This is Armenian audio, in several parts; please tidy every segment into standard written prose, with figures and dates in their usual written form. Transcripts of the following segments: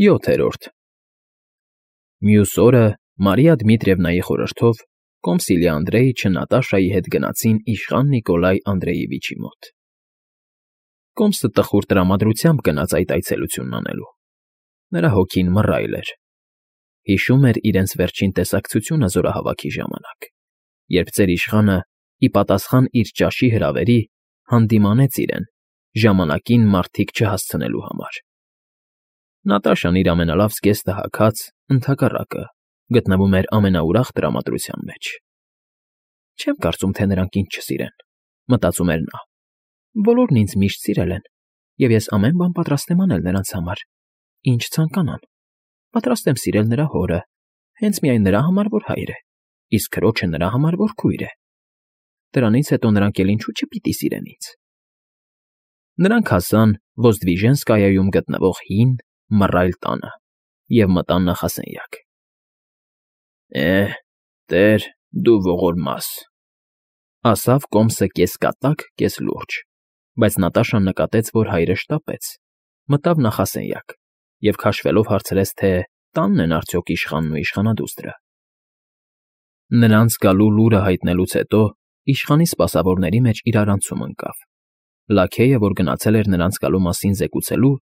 7-րդ Մյուս օրը Մարիա Դմիտրիևնայի խորհրդով Կոմսիլիա Անդրեիչը Նատաշայի հետ գնացին իշխան Նիկոլայ Անդրեևիչի մոտ։ Կոմսը տխուր տրամադրությամբ գնաց այդ այցելությունն անելու։ Նրա հոգին մռայլ էր։ Հիշում էր իրենց վերջին տեսակցությունը զորահավաքի ժամանակ, երբ ծեր իշխանը, ի պատասխան իր ճաշի հրավերի, հանդիմանեց իրեն, ժամանակին մարդիկ չհասցնելու համար։ Նատաշան իր ամենալավ զգեստը հագած, ընդհակառակը, գտնվում էր ամենաուրախ տրամադրության մեջ։ Չեմ կարծում, թե նրանք ինձ չսիրեն, մտածում էր նա։ Բոլորն ինձ միշտ սիրել են, և ես ամեն բան պատրաստ եմ անել նրանց համար, ինչ ցանկանան։ Պատրաստ եմ սիրել նրա հորը, հենց միայն նրա համար, որ հայր է, իսկ քրոջը նրա համար, որ քույր է։ Դրանից հետո նրանք էլ ինչու չպիտի սիրեն ինձ։ Նրանք հասան Ոզդվիժենսկայայում գտնվող հին, մռայլ տանը և մտան նախասենյակ։ Տեր, դու ողորմաս, ասավ Կոմսը կես կատակ, կես լուրջ, բայց Նատաշան նկատեց, որ հայրը շտապեց, մտավ նախասենյակ և քաշվելով հարցրեց, թե տանն են արդյոք իշխանն ու իշխանադուստրը։ Նրանց գալու լուրը հայտնելուց հետո իշխանի սպասավորների մեջ իրարանցում ընկավ։ Լաքեյը, որ գնացել էր նրանց գալու մասին զեկուցելու,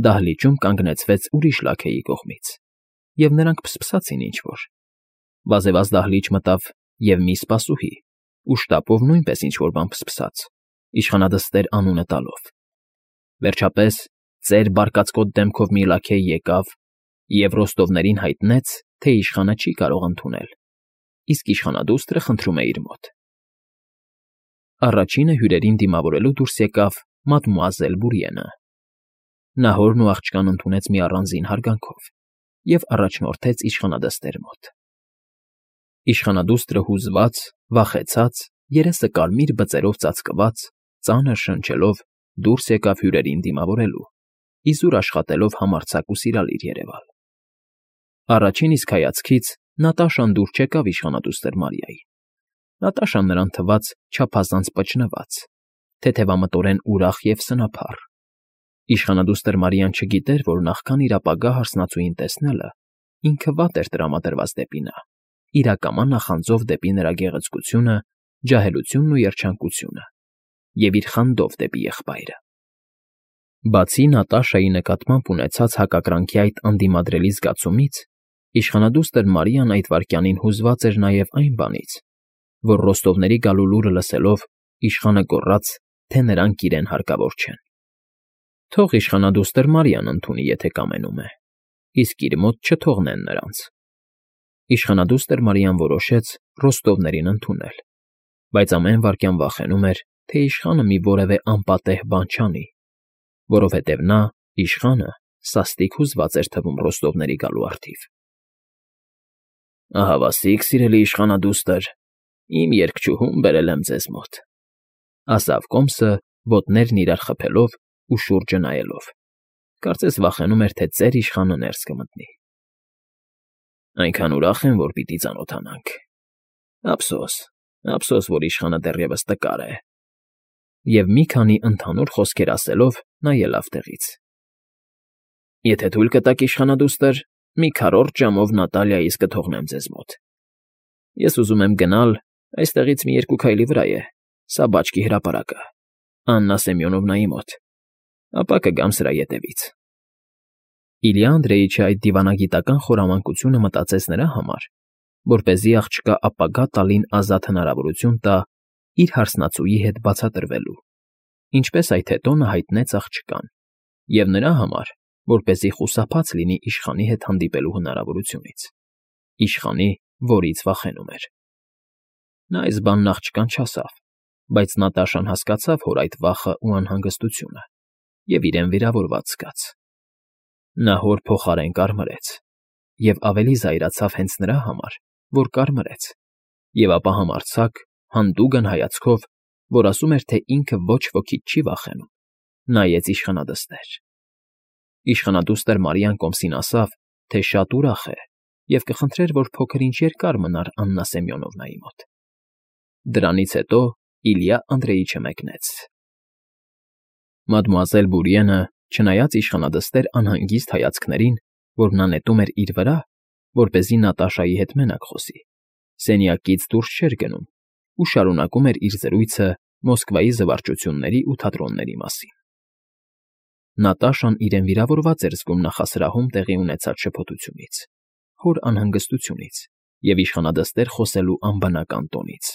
դահլիճում կանգնեցվեց ուրիշ լաքեյի կողմից, և նրանք փսփսացին ինչ֊որ։ Վազեվազ դահլիճ մտավ և մի սպասուհի, ու շտապով նույնպես ինչ֊որ բան փսփսաց, իշխանադստեր անունը տալով։ Վերջապես ծեր բարկացկոտ դեմքով մի լաքեյ եկավ և ռոստովներին հայտնեց, թե իշխանը չի կարող ընդունել, իսկ իշխանադուստրը խնդրում է իր մոտ։ Առաջինը հյուրերին դիմավորելու դուրս եկավ մադմուազել Բուրիենը։ Նա հորն ու աղջկան ընդունեց մի առանձին հարգանքով և առաջնորդեց իշխանադստեր մոտ։ Իշխանադուստրը հուզված, վախեցած, երեսը կարմիր բծերով ծածկված, ծանր շնչելով դուրս եկավ հյուրերին դիմավորելու, իզուր աշխատելով համարձակ ու սիրալիր երևալ։ Առաջին իսկ հայացքից Նատաշան դուր չեկավ իշխանադուստր Մարիային։ Նատաշան նրան թվաց չափազանց պճնված, թեթևամտորեն ուրախ և սնափառ։ Իշխանադուստր Մարիան չգիտեր, որ նախքան իր ապագա հարսնացուին տեսնելը, ինքը վատ էր տրամադրված դեպի նա, իրակամա նախանձով դեպի նրա գեղեցկությունը, ջահելությունն ու երջանկությունը, և իր խանդով դեպի եղբայրը։ Բացի Նատաշայի նկատմամբ ունեցած հակակրանքի այդ անդիմադրելի զգացումից, իշխանադուստր Մարիան այդ վայրկյանին հուզված էր նաև այն բանից, որ ռոստովների գալու լուրը լսելով իշխանը գոռաց, թե նրանք իրեն հարկավոր չեն։ Թող իշխանադուստր Մարիան ընդունի, եթե կամենում է, իսկ իր մոտ չթողնեն նրանց։ Իշխանադուստր Մարիան որոշեց ռոստովներին ընդունել, բայց ամեն վայրկյան վախենում էր, թե իշխանը մի որևէ անպատեհ բան չանի, որովհետև նա, իշխանը, սաստիկ հուզված էր թվում ռոստովների գալու առթիվ։ Ահավասիկ, սիրելի իշխանադուստր, իմ երգչուհուն բերել եմ ձեզ մոտ, ասավ Կոմսը, ոտներն իրար խփելով ու շուրջը նայելով, կարծես վախենում էր, թե ծեր իշխանը ներս կմտնի։ Այնքան ուրախ եմ, որ պիտի ծանոթանանք։ Ափսոս, որ իշխանը դեռևս տկար է։ Եվ մի քանի ընդհանուր խոսքեր ասելով նա ելավ տեղից։ Եթե թույլ կտաք, իշխանադուստր, մի քառորդ ժամով Նատալիայիս կթողնեմ ձեզ մոտ։ Ես ուզում եմ գնալ, այստեղից մի 2 քայլի վրա է, սա բաճկի հրապարակը, Աննա Սեմյոնովնայի մոտ, ապա կգամ սրա ետևից։ Իլյա Անդրեիչը այդ դիվանագիտական խորամանկությունը մտածեց նրա համար, որպեսզի աղջկա ապագա տալին ազատ հնարավորություն տա իր հարսնացուի հետ բացատրվելու, ինչպես այդ հետո նա հայտնեց աղջկան, և նրա համար, որպեսզի խուսափած լինի իշխանի հետ հանդիպելու հնարավորությունից, իշխանի, որից վախենում էր։ Նա այս բանն աղջկան չասավ, բայց Նատաշան հասկացավ հոր այդ վախը ու անհանգստությունը և իրեն վիրավորված զգաց։ Նա հոր փոխարեն կարմրեց և ավելի զայրացավ հենց նրա համար, որ կարմրեց, և ապա համարձակ, հանդուգն հայացքով, որ ասում էր, թե ինքը ոչ ոքից չի վախենում, նայեց իշխանադստեր։ Իշխանադուստր Մարիան Կոմսին ասավ, թե շատ ուրախ է և կխնդրեր, որ փոքր-ինչ երկար մնար Աննա Սեմյոնովնայի մոտ։ Դրանից հետո Իլյա Անդրեիչը մեկնեց։ Մադմուազել Բուրիենը, չնայած իշխանադստեր անհանգիստ հայացքներին, որ նա նետում էր իր վրա, որպեսզի Նատաշայի հետ մենակ խոսի, սենյակից դուրս չէր գնում ու շարունակում էր իր զրույցը Մոսկվայի զվարճությունների ու թատրոնների մասին։ Նատաշան իրեն վիրավորված էր զգում նախասրահում տեղի ունեցած շփոթությունից, հոր անհանգստությունից և իշխանադստեր խոսելու անբնական տոնից,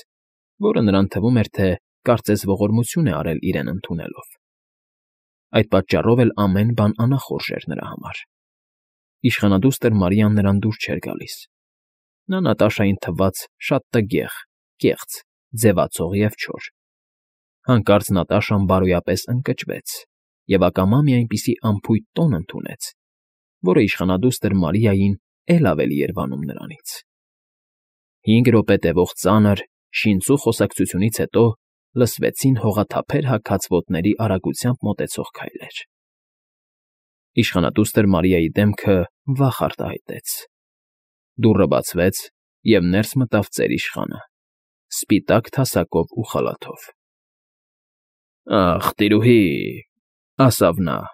որը նրան թվում էր, թե կարծես ողորմություն է արել իրեն ընդունելով։ Այդ պատճառով էլ ամեն բան անախորժ էր նրա համար։ Իշխանադուստր Մարիան նրան դուր չէր գալիս։ Նա Նատաշային թվաց շատ տգեղ, կեղծ, ձևացող և չոր։ Հանկարծ Նատաշան բարոյապես ընկճվեց և ակամա մի այնպիսի անփույթ տոն ընդունեց, որը իշխանադուստր Մարիային էլ ավելի էր վանում նրանից։ 5 րոպե տևող ծանր, շինծու խոսակցությունից հետո լսվեցին հողաթափեր հագած ոտների արագությամբ մոտեցող քայլեր։ Իշխանադուստր Մարիայի դեմքը վախ արտահայտեց։ Դուռը բացվեց, և ներս մտավ ծերիշխանը, սպիտակ թասակով ու խալաթով։ ֊ Ախ, տիրուհի,֊ ասավ նա,֊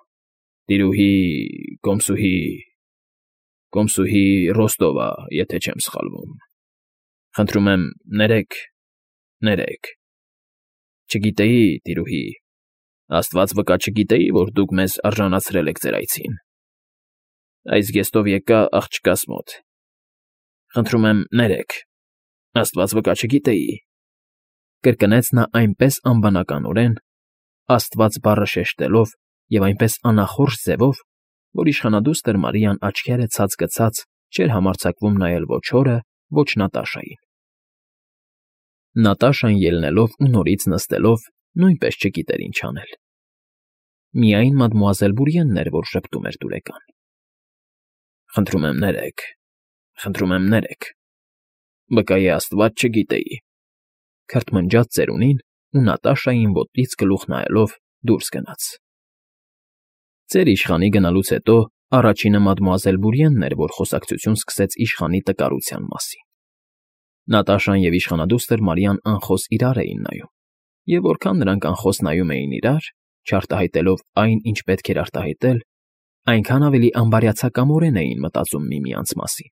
տիրուհի… կոմսուհի Ռոստովա, եթե չեմ սխալվում… Խնդրում եմ, ներեք… Չգիտեի, տիրուհի… Աստված վկա, չգիտեի, որ դուք մեզ արժանացրել եք ձեր այցին… Այս զգեստով եկա աղջկաս մոտ… Խնդրում եմ, ներեք… Աստված վկա, չգիտեի…֊ կրկնեց նա այնպես անբանականորեն, Աստված բառը շեշտելով և այնպես անախորժ ձևով, որ իշխանադուստր Մարիան աչքերը ցած գցած չէր համարձակվում նայել ոչ հորը, ոչ Նատաշային։ Նատաշան ելնելով ու նորից նստելով նույնպես չգիտեր ինչ անել։ Միայն մադմուազել Բուրիենն էր, որ ժպտում էր դուրեկան։ Խնդրում եմ, ներեք… Վկայի Աստված, չգիտեի…֊ քրթմնջաց ծերունին ու Նատաշային ոտից գլուխ նայելով դուրս գնաց։ Ծեր իշխանի գնալուց հետո առաջինը մադմուազել Բուրիենն էր, որ խոսակցություն սկսեց իշխանի տկարության մասին։ Նատաշան և իշխանադուստր Մարիան անխոս իրար էին նայում, և որքան նրանք անխոս նայում էին իրար, չարտահայտելով այն, ինչ պետք էր արտահայտել, այնքան ավելի անբարյացակամորեն էին մտածում միմյանց մասին։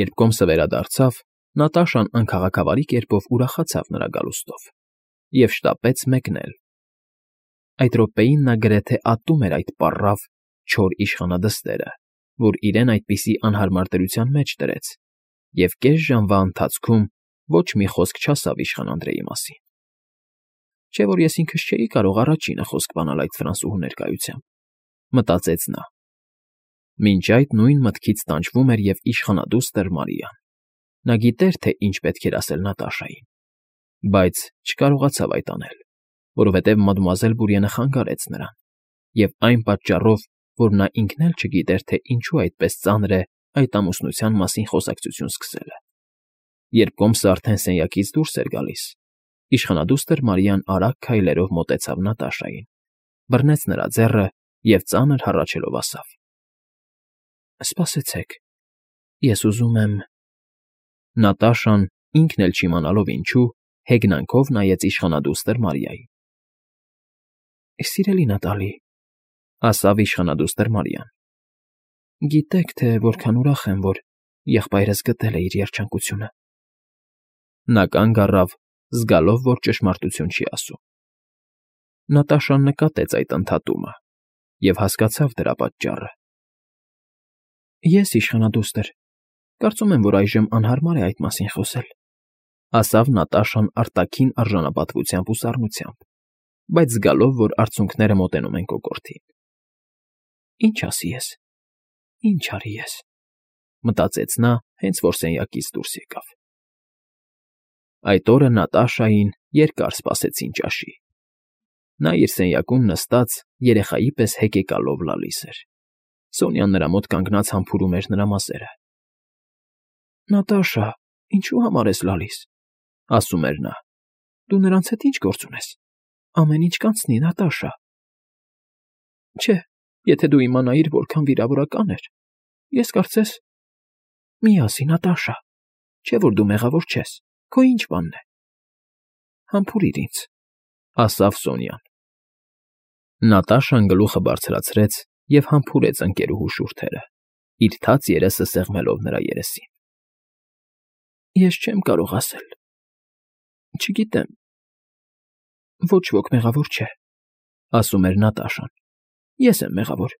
Երբ կոմսը վերադարձավ, Նատաշան անքաղաքավարի կերպով ուրախացավ նրա գալուստով և շտապեց մեկնել։ Այդ րոպեին նա գրեթե ատում էր այդ պառավ, չոր իշխանադստերը, որ իրեն այդպիսի անհարմար դրության մեջ դրեց, և կես ժամվա ընթացքում ոչ մի խոսք չասավ իշխան Անդրեի մասին։ Չէ՞ որ ես ինքս չէի կարող առաջինը խոսք բանալ այդ ֆրանսուհու ներկայությամբ, մտածեց նա։ Մինչ այդ նույն մտքից տանջվում էր և իշխանադուստր Մարիան։ Նա գիտեր, թե ինչ պետք էր ասել Նատաշային, բայց չկարողացավ այդ անել, որովհետև մադմուազել Բուրիենը խանգարեց նրան, և այն պատճառով, որ նա ինքն էլ չգիտեր, թե ինչու այդպես ծանր է այդ ամուսնության մասին խոսակցություն սկսելը։ Երբ կոմսը արդեն սենյակից դուրս էր գալիս, իշխանադուստր Մարիան արագ քայլերով մոտեցավ Նատաշային, բռնեց նրա ձեռը և ծանր հառաչելով ասավ. «Սպասեցեք, ես ուզում եմ…» Նատաշան, ինքն էլ չիմանալով ինչու, հեգնանքով նայեց իշխանադուստր Մարիային։ «Սիրելի Նատալի,֊ ասավ իշխանադուստր Մարիան,֊ գիտեք, թե որքան ուրախ եմ, որ եղբայրս գտել է իր երջանկությունը»։ Նա կանգ առավ, զգալով, որ ճշմարտություն չի ասում։ Նատաշան նկատեց այդ ընդհատումը և հասկացավ դրա պատճառը։ «Ես, իշխանադուստր, կարծում եմ, որ այժմ անհարմար է այդ մասին խոսել,֊ ասավ Նատաշան արտաքին արժանապատվությամբ ու սառնությամբ, բայց զգալով, որ արցունքները մոտենում են կոկորդին։ «Ինչ ասի ես, ինչ արի ես…֊ մտածեց նա, հենց որ սենյակից դուրս եկավ։ Այդ օրը Նատաշային երկար սպասեցին ճաշի։ Նա իր սենյակում նստած երեխայի պես հեկեկալով լալիս էր։ Սոնյան նրա մոտ կանգնած համբուրում էր նրա մազերը։ «Նատաշա, ինչու համար ես լալիս,֊ ասում էր նա,֊ դու նրանց հետ ի՞նչ գործ ունես։ Ամեն ինչ կանցնի, Նատաշա…֊ Չէ, եթե դու իմանայիր, որքան վիրավորական էր… Ես կարծես…֊ Մի ասի, Նատաշա, չէ՞ որ դու մեղավոր չես, քո ի՞նչ բանն է։ Համբուրիր ինձ,֊ ասավ Սոնյան։ Նատաշան գլուխը բարձրացրեց և համբուրեց ընկերուհու շուրթերը, իր թաց երեսը սեղմելով նրա երեսին։ Ես չեմ կարող ասել։ Չգիտեմ։ Ոչ ոք մեղավոր չէ, ասում էր Նատաշան։ Ես եմ մեղավոր,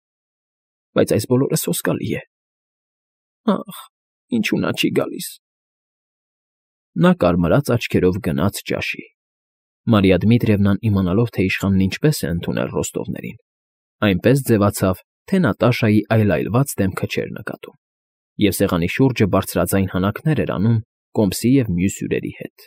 բայց այս բոլորը սոսկալի է։ Ախ, ինչու նա չի գալիս։ Նա կարմրած աչքերով գնաց ճաշի։ Մարիա Դմիտրիևնան, իմանալով, թե իշխանն ինչպես է ընդունել ռոստովներին, այնպես ձևացավ, թե Նատաշայի այլայլված դեմքը չէր նկատում, և սեղանի շուրջը բարձրաձայն հանակներ էր անում Կոմսի և մյուս հյուրերի հետ։